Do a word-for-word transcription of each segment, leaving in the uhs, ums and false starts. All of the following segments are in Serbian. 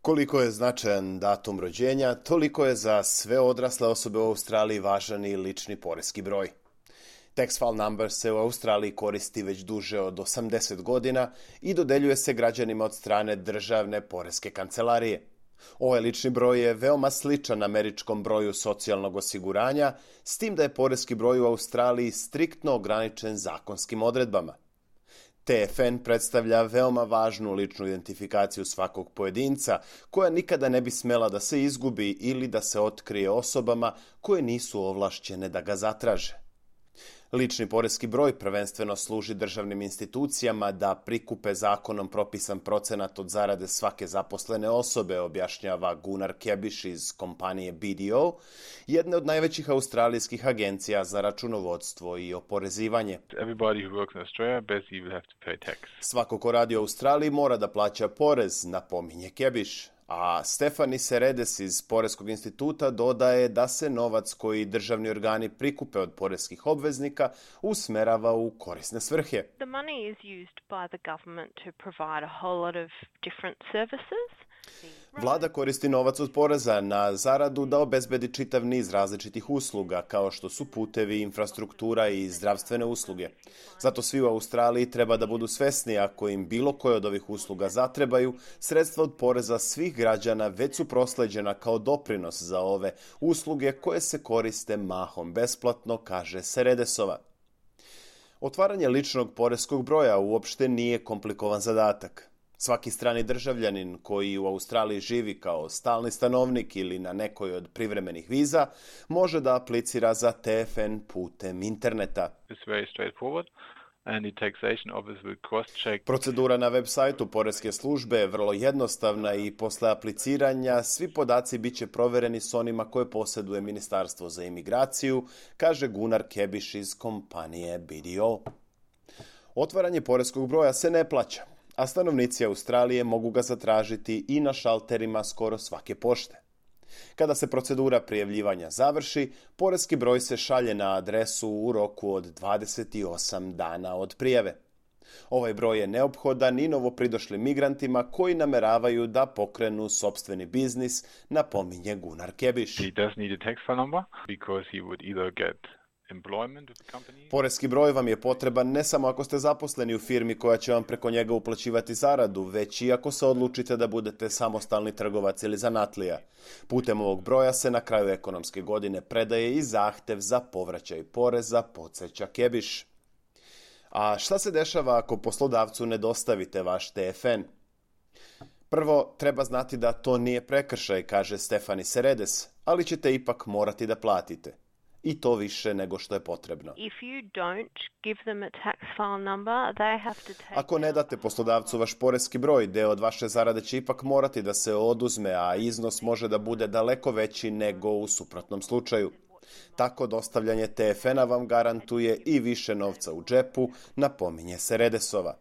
Koliko je značajan datum rođenja, toliko je za sve odrasle osobe u Australiji važan i lični poreski broj. Tax file number se u Australiji koristi već duže od osamdeset godina i dodeljuje se građanima od strane državne poreske kancelarije. Ovaj lični broj je veoma sličan američkom broju socijalnog osiguranja, s tim da je poreski broj u Australiji striktno ograničen zakonskim odredbama. T F N predstavlja veoma važnu ličnu identifikaciju svakog pojedinca, koja nikada ne bi smela da se izgubi ili da se otkrije osobama koje nisu ovlašćene da ga zatraže. Lični poreski broj prvenstveno služi državnim institucijama da prikupe zakonom propisan procenat od zarade svake zaposlene osobe, objašnjava Gunnar Kebiš iz kompanije B D O, jedne od najvećih australijskih agencija za računovodstvo i oporezivanje. Everybody who works in Australia basically will have to pay tax. Svako ko radi u Australiji mora da plaća porez, napominje Kebiš. A Stefani Seredes iz Poreskog instituta dodaje da se novac koji državni organi prikupe od poreskih obveznika usmerava u korisne svrhe. The money is used by the government to provide a whole lot of different services. Vlada koristi novac od poreza na zaradu da obezbedi čitav niz različitih usluga, kao što su putevi, infrastruktura i zdravstvene usluge. Zato svi u Australiji treba da budu svesni ako im bilo koje od ovih usluga zatrebaju, sredstva od poreza svih građana već su prosleđena kao doprinos za ove usluge koje se koriste mahom besplatno, kaže Seredesova. Otvaranje ličnog poreskog broja uopšte nije komplikovan zadatak. Svaki strani državljanin koji u Australiji živi kao stalni stanovnik ili na nekoj od privremenih viza može da aplicira za T F N putem interneta. It's very straightforward. And the taxation office will cross-check. Procedura na web sajtu poreske službe je vrlo jednostavna i posle apliciranja svi podaci biće provereni s onima koje posjeduje Ministarstvo za imigraciju, kaže Gunnar Kebiš iz kompanije B D O. Otvaranje poreskog broja se ne plaća, a stanovnici Australije mogu ga zatražiti i na šalterima skoro svake pošte. Kada se procedura prijavljivanja završi, poreski broj se šalje na adresu u roku od dvadeset osam dana od prijave. Ovaj broj je neophodan i novopridošlim migrantima koji nameravaju da pokrenu sopstveni biznis, napominje Gunnar Kebiš. He does need a tax file number because he would either get employment with the company. Poreski broj vam je potreban ne samo ako ste zaposleni u firmi koja će vam preko njega uplaćivati zaradu, već i ako se odlučite da budete samostalni trgovac ili zanatlija. Putem ovog broja se na kraju ekonomske godine predaje i zahtev za povraćaj poreza, podsjeća Kebiš. A šta se dešava ako poslodavcu ne dostavite vaš T F N? Prvo, treba znati da to nije prekršaj, kaže Stefani Seredes, ali ćete ipak morati da platite. I to više nego što je potrebno. If you don't give them a tax file number, they have to take. Ako ne date poslodavcu vaš poreski broj, deo od vaše zarade će ipak morati da se oduzme, a iznos može da bude daleko veći nego u suprotnom slučaju. Tako dostavljanje T F N-a vam garantuje i više novca u džepu, napominje Seredesova.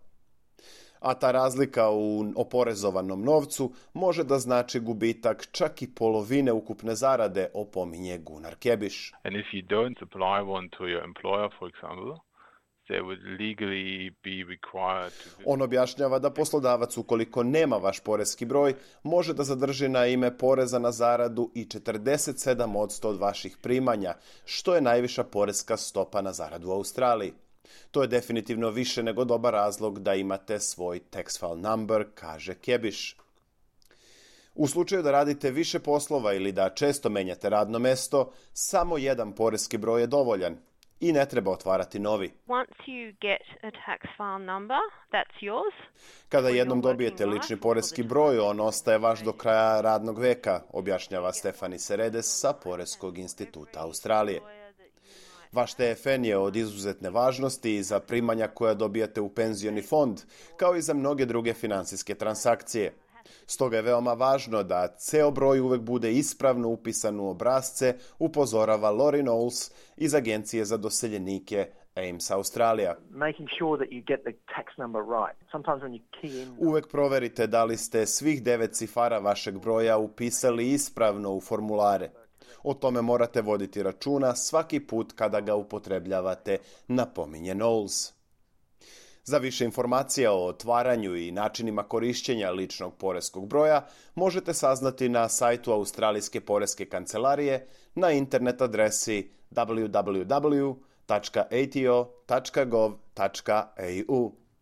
A ta razlika u oporezovanom novcu može da znači gubitak čak i polovine ukupne zarade, opominje Gunnar Kebiš. And if you don't supply one to your employer, for example, they would legally be required to... On objašnjava da poslodavac, ukoliko nema vaš poreski broj, može da zadrži na ime poreza na zaradu i četrdeset sedam posto od vaših primanja, što je najviša poreska stopa na zaradu u Australiji. To je definitivno više nego dobar razlog da imate svoj tax file number, kaže Kebiš. U slučaju da radite više poslova ili da često menjate radno mesto, samo jedan poreski broj je dovoljan i ne treba otvarati novi. Once you get a tax file number, that's yours. Kada jednom dobijete lični poreski broj, on ostaje vaš do kraja radnog veka, objašnjava Stefani Seredes sa Poreskog instituta Australije. Vaš T F N je od izuzetne važnosti i za primanja koja dobijate u penzioni fond, kao i za mnoge druge finansijske transakcije. Stoga je veoma važno da ceo broj uvek bude ispravno upisan u obrasce, upozorava Lori Knowles iz Agencije za doseljenike A I M S Australija. Uvek proverite da li ste svih devet cifara vašeg broja upisali ispravno u formulare. O tome morate voditi računa svaki put kada ga upotrebljavate, napominje Knowles. Za više informacija o otvaranju i načinima korišćenja ličnog poreskog broja možete saznati na sajtu Australijske poreske kancelarije na internet adresi w w w tačka a t o tačka gov tačka a u.